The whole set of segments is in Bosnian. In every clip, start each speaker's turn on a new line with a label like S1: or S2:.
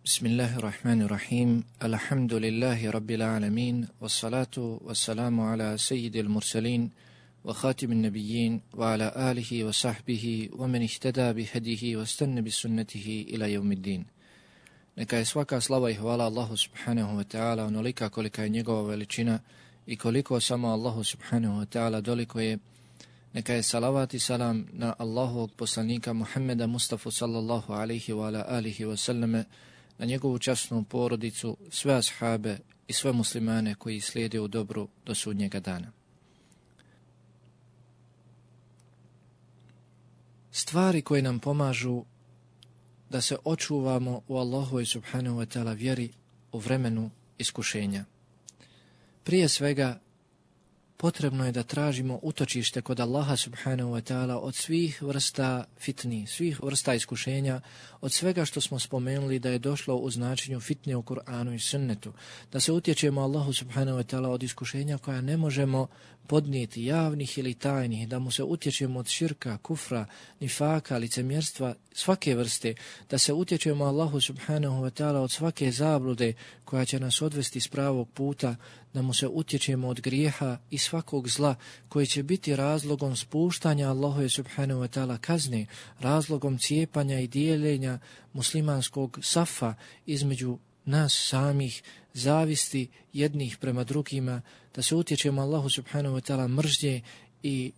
S1: Bismillahirrahmanirrahim. Alhamdulillahi rabbil alamin. Wassalatu wassalamu ala sayyidil mursalin wa khatimin nabiyyin wa ala alihi wa sahbihi wa man ihtada bihadihi wa istanna bisunnatihi ila yawmiddin. Neka je svaka slava i hvala Allahu subhanahu wa ta'ala onolika kolika je njegova veličina i koliko samo Allahu subhanahu wa ta'ala doliko je. Neka je salavat i salam na Allahovog poslanika Muhammeda Mustafa sallallahu alaihi wa ala alihi wa sallame, na njegovu časnu porodicu, sve ashabe i sve muslimane koji slijede u dobru do sudnjega dana. Stvari koje nam pomažu da se očuvamo u Allahovoj subhanahu wa ta'ala vjeri u vremenu iskušenja. Prije svega, potrebno je da tražimo utočište kod Allaha subhanahu wa ta'ala od svih vrsta fitni, svih vrsta iskušenja, od svega što smo spomenuli da je došlo u značenju fitne u Kur'anu i sunnetu, da se utječemo Allahu subhanahu wa ta'ala od iskušenja koja ne možemo podnijeti, javnih ili tajnih, da mu se utječemo od širka, kufra, nifaka, licemjerstva, svake vrste, da se utječemo Allahu subhanahu wa ta'ala od svake zablude koja će nas odvesti s pravog puta, da mu se utječemo od grijeha i svakog zla koji će biti razlogom spuštanja Allahove subhanahu wa ta'ala kazne, razlogom cijepanja i dijeljenja muslimanskog safa između nas samih, zavisti jednih prema drugima, da se utječemo Allahu subhanahu wa ta'ala mržnje i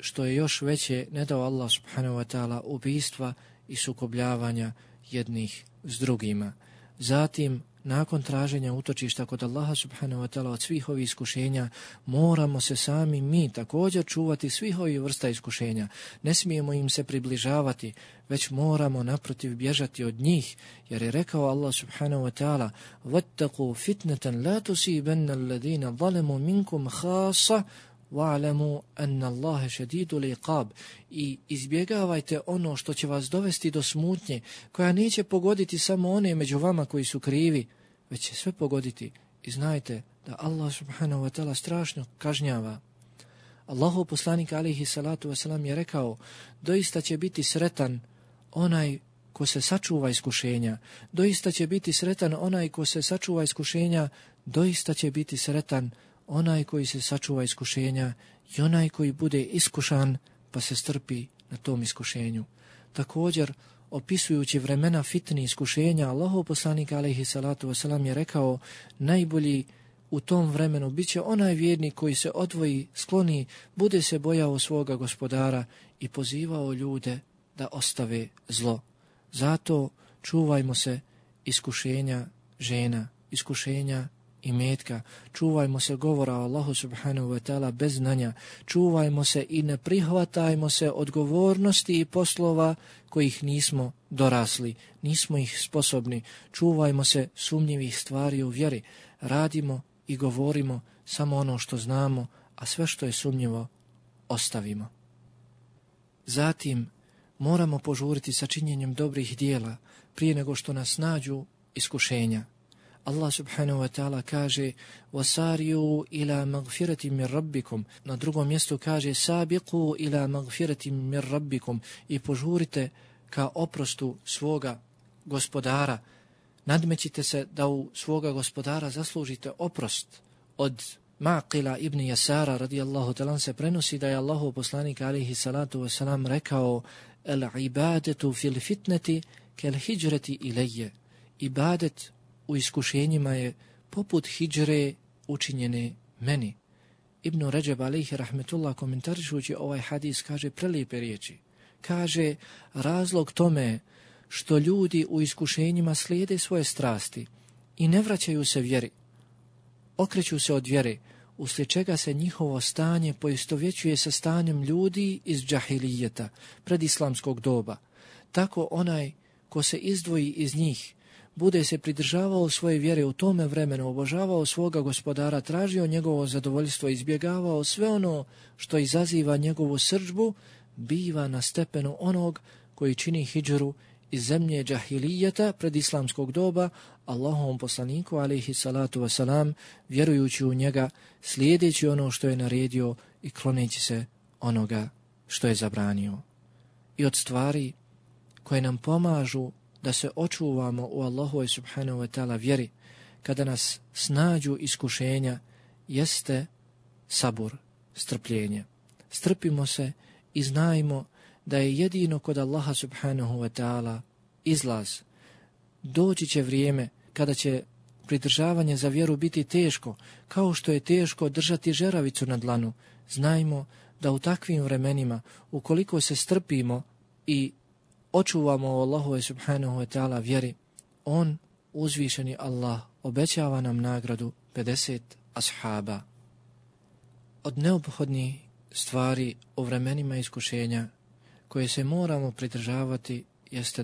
S1: što je još veće, ne dao Allah subhanahu wa ta'ala ubijstva i sukobljavanja jednih s drugima. Zatim, nakon traženja utočišta kod Allaha subhanahu wa ta'ala od svih ovih iskušenja, moramo se sami mi također čuvati svih ovih vrsta iskušenja. Ne smijemo im se približavati, već moramo naprotiv bježati od njih, jer je rekao Allah subhanahu wa ta'ala: "Wattaqu fitnatan la tusibanna alladhina zalamu minkum khassa wa'lamu anna Allaha shadidul iqab." I izbjegavajte ono što će vas dovesti do smutnje, koja neće pogoditi samo one među vama koji su krivi, već će sve pogoditi. I znajte da Allah subhanahu wa ta'ala strašno kažnjava. Allahov poslanik alejhi salatu vesselam je rekao: doista će biti sretan onaj ko se sačuva iskušenja, doista će biti sretan onaj ko se sačuva iskušenja, doista će biti sretan onaj koji se sačuva iskušenja i onaj koji bude iskušan pa se strpi na tom iskušenju. Također, opisujući vremena fitni iskušenja, Allahov poslanik alejhi salatu vesselam je rekao: najbolji u tom vremenu bit će onaj vjernik koji se odvoji, skloni, bude se bojao svoga gospodara i pozivao ljude da ostave zlo. Zato čuvajmo se iskušenja žena, iskušenja imetka, čuvajmo se govora o Allahu subhanahu wa ta'ala bez znanja, čuvajmo se i ne prihvatajmo se odgovornosti i poslova kojih nismo dorasli, nismo ih sposobni, čuvajmo se sumnjivih stvari u vjeri, radimo i govorimo samo ono što znamo, a sve što je sumnjivo ostavimo. Zatim, moramo požuriti sa činjenjem dobrih dijela prije nego što nas nađu iskušenja. Allah subhanahu wa ta'ala kaže: "Wasari'u ila magfiratin min rabbikum." Na drugom mjestu kaže: "Sabiqu ila magfiratin min rabbikum." I požurite ka oprostu svoga gospodara. Nadmećite se da u svoga gospodara zaslužite oprost. Od Maqila ibn Yasara radijallahu ta'ala se prenosi da je Allahov poslanik alejhi salatu vesselam rekao: "El-ibadatu fil fitnati kal hijrati ilayya." Ibadet u iskušenjima je poput hidžre učinjene meni. Ibn Ređeb alejhi rahmetullah komentarišući ovaj hadis kaže prelijepe riječi. Kaže: razlog tome što ljudi u iskušenjima slijede svoje strasti i ne vraćaju se vjeri, okreću se od vjere, uslijed čega se njihovo stanje poistovjećuje sa stanjem ljudi iz džahilijeta, predislamskog doba. Tako onaj ko se izdvoji iz njih, bude se pridržavao svoje vjere u tome vremenu, obožavao svoga gospodara, tražio njegovo zadovoljstvo, izbjegavao sve ono što izaziva njegovu srdžbu, biva na stepenu onog koji čini hidžru iz zemlje džahilijeta predislamskog doba Allahovom poslaniku alejhi salatu wasalam, vjerujući u njega, slijedeći ono što je naredio i kloneći se onoga što je zabranio. I od stvari koje nam pomažu da se očuvamo u Allahovoj subhanahu wa ta'ala vjeri, kada nas snađu iskušenja, jeste sabur, strpljenje. Strpimo se i znajmo da je jedino kod Allaha subhanahu wa ta'ala izlaz. Doći će vrijeme kada će pridržavanje za vjeru biti teško, kao što je teško držati žeravicu na dlanu. Znajmo da u takvim vremenima, ukoliko se strpimo i očuvamo o Allahove subhanahu wa ta'ala vjeri, on, uzvišeni Allah, obećava nam nagradu 50 ashaba. Od neophodnih stvari u vremenima iskušenja koje se moramo pridržavati jeste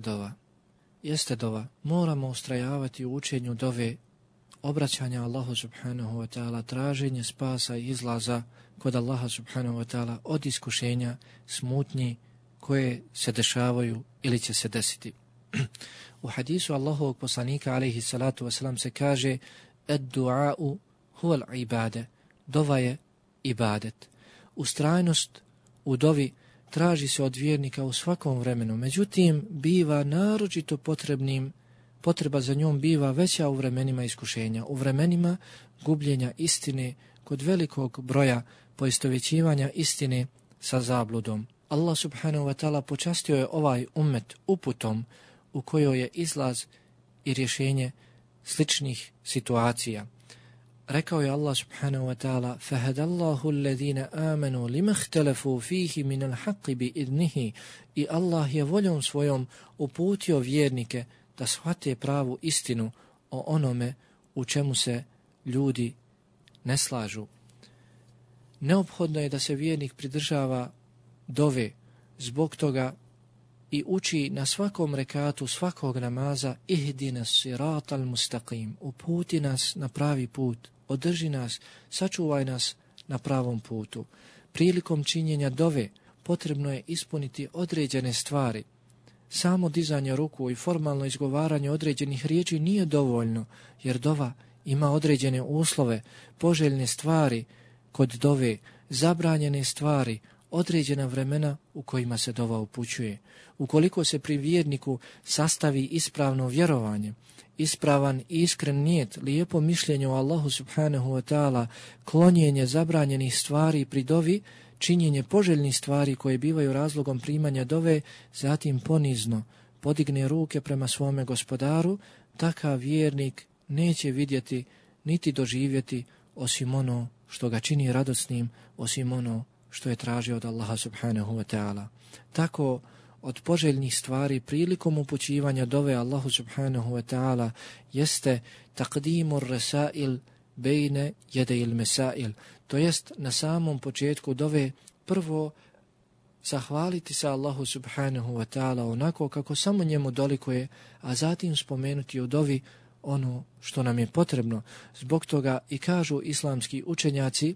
S1: dova. Moramo ustrajavati u učenju dove, obraćanja Allahu subhanahu wa ta'ala, traženje spasa i izlaza kod Allaha subhanahu wa ta'ala od iskušenja, smutnji koje se dešavaju ili će se desiti. U hadisu Allahovog poslanika alejhi salatu vesselam se kaže: "Ad-du'a'u huwa al-ibade." Dova je ibadet. Ustrajnost u dovi traži se od vjernika u svakom vremenu, međutim biva naročito potreba za njom biva veća u vremenima iskušenja, u vremenima gubljenja istine, kod velikog broja poistovjećivanja istine sa zabludom. Allah subhanahu wa ta'ala počastio je ovaj ummet uputom u kojoj je izlaz i rješenje sličnih situacija. Rekao je Allah subhanahu wa ta'ala: فَهَدَ اللَّهُ الَّذِينَ آمَنُوا لِمَا اخْتَلَفُوا فِيهِ مِنَ الْحَقِّ بِإِذْنِهِ. I Allah je voljom svojom uputio vjernike da shvate pravu istinu o onome u čemu se ljudi ne slažu. Neophodno je da se vjernik pridržava dove, zbog toga i uči na svakom rekatu svakog namaza: ihdina siratal mustaqim, uputi nas na pravi put, održi nas, sačuvaj nas na pravom putu. Prilikom činjenja dove potrebno je ispuniti određene stvari. Samo dizanje ruku i formalno izgovaranje određenih riječi nije dovoljno, jer dova ima određene uslove, poželjne stvari kod dove, zabranjene stvari, određena vremena u kojima se dova upućuje. Ukoliko se pri vjerniku sastavi ispravno vjerovanje, ispravan i iskren nijet, lijepo mišljenje o Allahu subhanahu wa ta'ala, klonjenje zabranjenih stvari pri dovi, činjenje poželjnih stvari koje bivaju razlogom primanja dove, zatim ponizno podigne ruke prema svome gospodaru, takav vjernik neće vidjeti niti doživjeti osim ono što ga čini radosnim, osim ono što je tražio od Allaha subhanahu wa ta'ala. Tako od poželjnih stvari prilikom upućivanja dove Allahu subhanahu wa ta'ala jeste taqdimur rasail bejne jedejil mesail, to jest na samom početku dove prvo zahvaliti se Allahu subhanahu wa ta'ala onako kako samo njemu dolikuje, a zatim spomenuti u dovi ono što nam je potrebno. Zbog toga i kažu islamski učenjaci: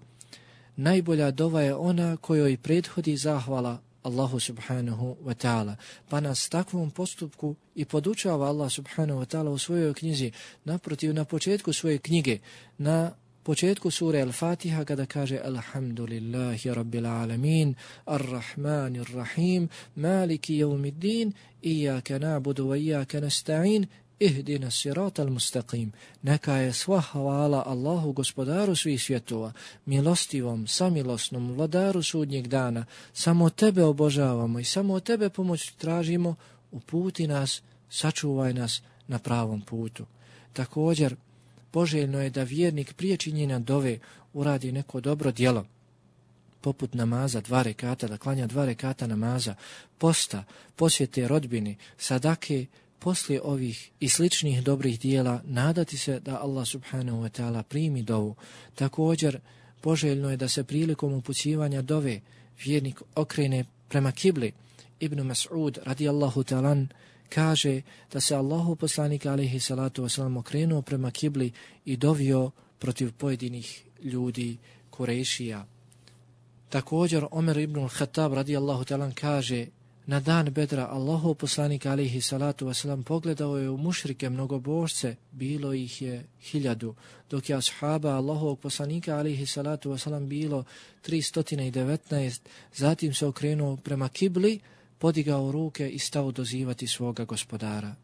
S1: najbolja dova je ona kojoj prethodi zahvala Allahu subhanahu wa ta'ala. Pa nas takvom postupku i podučava Allah subhanahu wa ta'ala u svojoj knjizi. Naprotiv, na početku svoje knjige, na početku sure Al-Fatiha, kada kaže: Alhamdulillahi rabbil alamin, ar-Rahmanir Rahim, maliki yawmiddin, iyaka na'budu wa iyaka nasta'in, ihdina siratal mustaqim. Neka je sva hvala Allahu, gospodaru svih svjetova, milostivom, samilosnom, vladaru sudnjeg dana. Samo tebe obožavamo i samo od tebe pomoć tražimo, uputi nas, sačuvaj nas na pravom putu. Također, poželjno je da vjernik prije činjenja dove uradi neko dobro djelo, poput namaza 2 rekata, da klanja 2 rekata namaza, posta, posjete rodbini, sadake. Poslije ovih i sličnih dobrih dijela nadati se da Allah subhanahu wa ta'ala primi dovu. Također, poželjno je da se prilikom upućivanja dove vjernik okrene prema kibli. Ibn Mas'ud radijallahu ta'ala kaže da se Allahu poslanik alejhi salatu vesselam okrenuo prema kibli i dovio protiv pojedinih ljudi Kurejšija. Također, Omer ibn al-Khattab radijallahu ta'ala kaže: na dan Bedra Allahov poslanik alejhi salatu vesselam pogledao je u mušrike mnogobožce, bilo ih je 1000, dok je ashaba Allahovog poslanika alejhi salatu vesselam bilo 319. Zatim se okrenuo prema kibli, podigao ruke i stao dozivati svoga gospodara.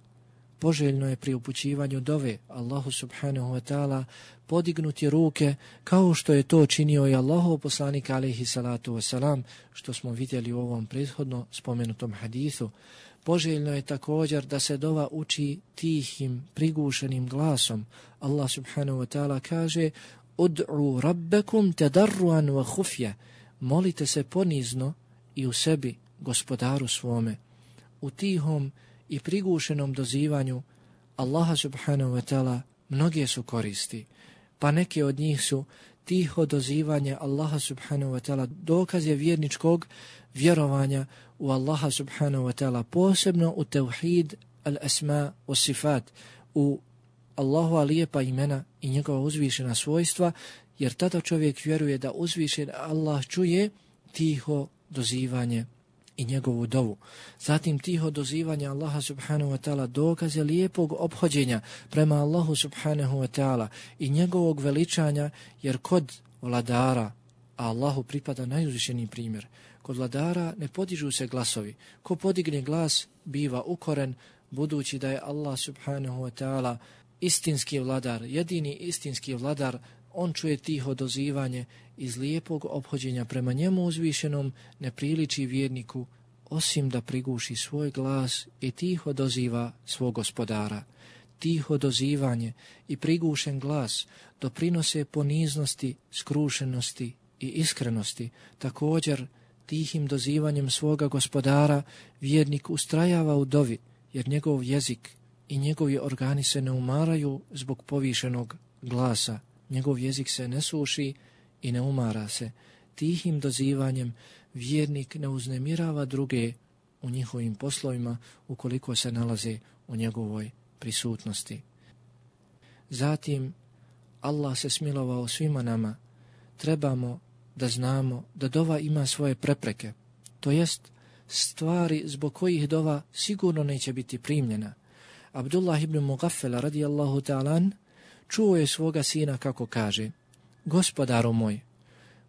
S1: poželjno je pri upućivanju dove Allahu subhanahu wa ta'ala podignuti ruke kao što je to činio i Allahov poslanik alejhi salatu vesselam, što smo vidjeli u ovom prethodno spomenutom hadisu. Poželjno je također da se dova uči tihim, prigušenim glasom. Allah subhanahu wa ta'ala kaže: Ud'u rabbakum tadarruan wa khufya. Molite se ponizno i u sebi gospodaru svome. U tihom i prigušenom dozivanju Allaha subhanahu wa ta'ala mnoge su koristi, pa neke od njih su tiho dozivanje Allaha subhanahu wa ta'ala, dokaz je vjerničkog vjerovanja u Allaha subhanahu wa ta'ala, posebno u tevhid al-asma wa sifat, u Allahova lijepa imena i njegova uzvišena svojstva, jer tada čovjek vjeruje da uzvišen Allah čuje tiho dozivanje i njegovu dovu. Zatim tiho dozivanje Allaha subhanahu wa ta'ala dokaz je lijepog ophođenja prema Allahu subhanahu wa ta'ala i njegovog veličanja, jer kod vladara, a Allahu pripada najuzvišeniji primjer, kod vladara ne podižu se glasovi. Ko podigne glas biva ukoren, budući da je Allah subhanahu wa ta'ala istinski vladar, jedini istinski vladar. On čuje tiho dozivanje. Iz lijepog ophođenja prema njemu uzvišenom ne priliči vjerniku osim da priguši svoj glas i tiho doziva svog gospodara. Tiho dozivanje i prigušen glas doprinose poniznosti, skrušenosti i iskrenosti. Također, tihim dozivanjem svoga gospodara vjernik ustrajava u dovi, jer njegov jezik i njegovi organi se ne umaraju zbog povišenog glasa. Njegov jezik se ne suši i ne umara se. Tihim dozivanjem vjernik ne uznemirava druge u njihovim poslovima ukoliko se nalaze u njegovoj prisutnosti. Zatim, Allah se smilovao svima nama. Trebamo da znamo da dova ima svoje prepreke, to jest stvari zbog kojih dova sigurno neće biti primljena. Abdullah ibn Mughaffal radijallahu ta'ala čuo je svoga sina kako kaže: Gospodaru moj,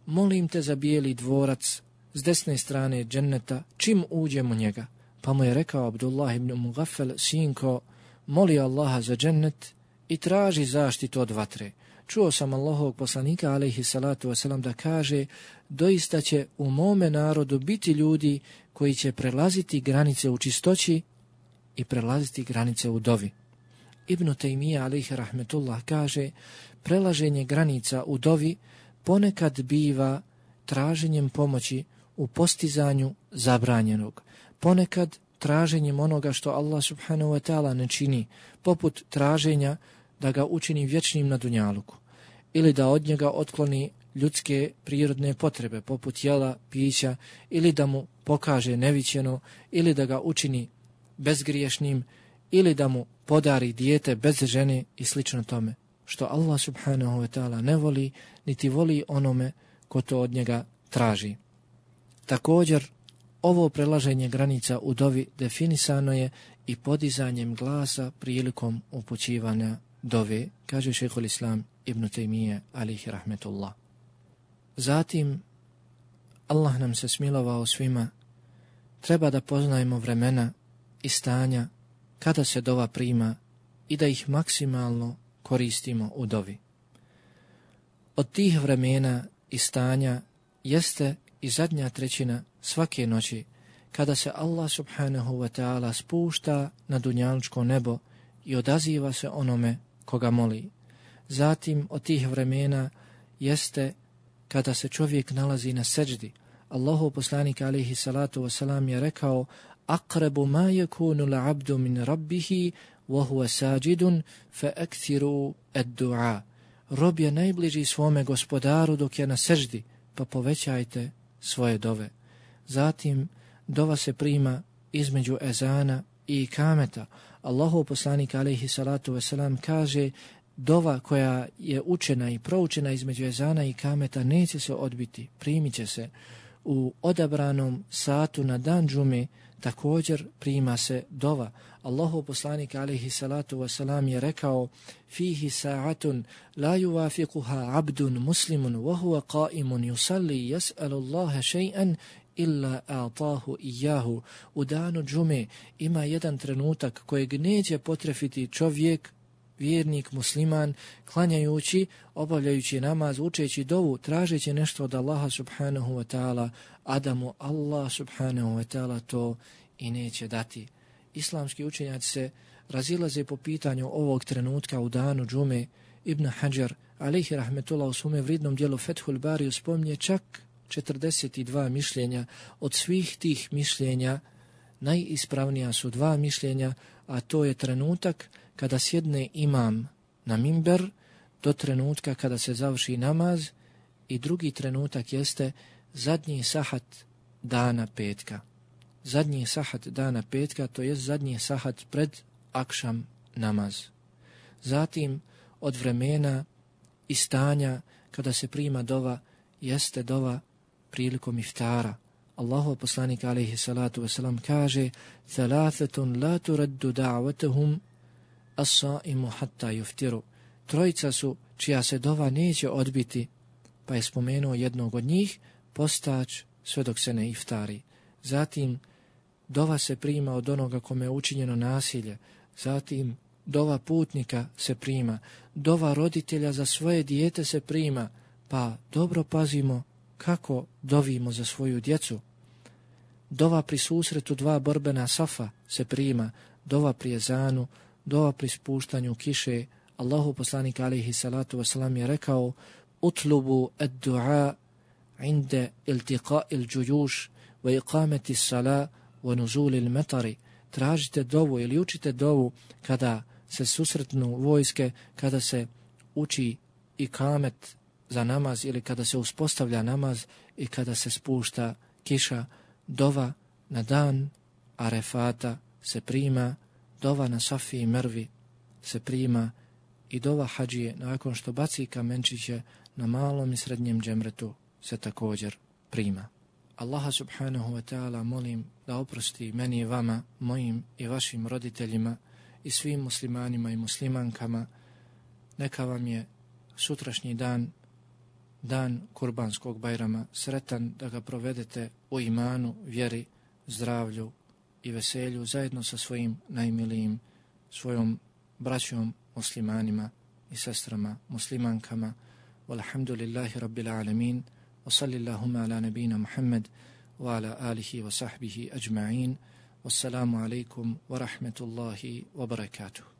S1: molim te za bijeli dvorac s desne strane dženneta čim uđemo njega. Pa mu je rekao Abdullah ibn Mughaffal: Sinko, moli Allaha za džennet i traži zaštitu od vatre. Čuo sam Allahovog poslanika alejhi salatu wasalam da kaže: doista će u mome narodu biti ljudi koji će prelaziti granice u čistoći i prelaziti granice u dovi. Ibn Taymija alejhi rahmetullah kaže: prelaženje granica u dovi ponekad biva traženjem pomoći u postizanju zabranjenog, ponekad traženjem onoga što Allah subhanahu wa ta'ala ne čini, poput traženja da ga učini vječnim na dunjaluku, ili da od njega otkloni ljudske prirodne potrebe, poput jela, pića, ili da mu pokaže neviđeno, ili da ga učini bezgriješnim, ili da mu podari dijete bez žene i slično tome, što Allah subhanahu wa ta'ala ne voli, niti voli onome ko to od njega traži. Također, ovo prelaženje granica u dovi definisano je i podizanjem glasa prilikom upućivanja dove, kaže šejhul Islam Ibn Taymije alejhi rahmetullah. Zatim, Allah nam se smilovao svima, treba da poznajemo vremena i stanja kada se dova prima i da ih maksimalno koristimo u dovi. Od tih vremena i stanja jeste i zadnja trećina svake noći, kada se Allah subhanahu wa ta'ala spušta na dunjalučko nebo i odaziva se onome koga moli. Zatim od tih vremena jeste kada se čovjek nalazi na seđdi. Allahov poslanik alejhi salatu wasalam je rekao: aqrabu ma yakunu al-'abdu min rabbihi wa huwa sajidun fa akthiru ad-du'a. Rob je najbliži svome gospodaru dok je na seždi, pa povećajte svoje dove. Zatim dova se prima između ezana i ikameta. Allahov poslanik alejhi salatu vesselam kaže: dova koja je učena i proučena između ezana i ikameta neće se odbiti, primit će se. U odabranom satu na dan džume također prima se dova. Allahov poslanik alejhi salatu wasalam je rekao: fihi sa'atun la yuwafiquha 'abdun muslimun wa huwa qa'imun yusalli yas'alu Allaha shay'an illa a'tahu iyahu. U danu džume ima jedan trenutak kojeg neće potrefiti čovjek, vjernik, musliman, klanjajući, obavljajući namaz, učeći dovu, tražeći nešto od Allaha subhanahu wa ta'ala, a da mu Allah subhanahu wa ta'ala to i neće dati. Islamski učenjaci se razilaze po pitanju ovog trenutka u danu džume. Ibn Hajar, alejhi rahmetullah, u svome vridnom dijelu Fethul Bariju spominje čak 42 mišljenja. Od svih tih mišljenja najispravnija su dva mišljenja, a to je trenutak kada sjedne imam na mimber do trenutka kada se završi namaz, i drugi trenutak jeste zadnji sahat dana petka. Zadnji sahat dana petka, to jest zadnji sahat pred akšam namaz. Zatim od vremena i stanja kada se prima dova jeste dova prilikom iftara. Allahov poslanik alejhi salatu vesselam kaže: "Thalathatun la turaddu da'watuhum as-sa'imu hatta yuftiru." Trojica su čija se dova neće odbiti, pa je spomenuo jednog od njih, postač, sve dok se ne iftari. Zatim dova se prima od onoga kome je učinjeno nasilje. Zatim dova putnika se prima, dova roditelja za svoje dijete se prima, pa dobro pazimo kako dovimo za svoju djecu. Dova pri susretu dva borbena safa se prima, dova pri ezanu, dova pri spuštanju kiše. Allahu poslanik alejhi salatu vesselam je rekao: "Utlubu ad-du'a inda iltiqa'i al-juyush wa iqamati as-salah wa nuzul al-matar." Tražite dovu ili učite dovu kada se susretnu vojske, kada se uči ikamet za namaz ili kada se uspostavlja namaz i kada se spušta kiša. Dova na dan Arefata se prima, dova na Safi i Mervi se prima i dova hadžije nakon što baci kamenčiće na malom i srednjem džemretu se također prima. Allaha subhanahu wa ta'ala molim da oprosti meni i vama, mojim i vašim roditeljima i svim muslimanima i muslimankama. Neka vam je sutrašnji dan, dan Kurbanskog Bajrama, sretan, da ga provedete u imanu, vjeri, zdravlju i veselju zajedno sa svojim najmilijim, svojom braćom muslimanima i sestrama muslimankama. Walhamdulillahi rabbil alamin. Wa sallillahuma ala nabina Muhammad wa ala alihi wa sahbihi ajma'in. Wassalamu alaikum wa rahmetullahi wa barakatuh.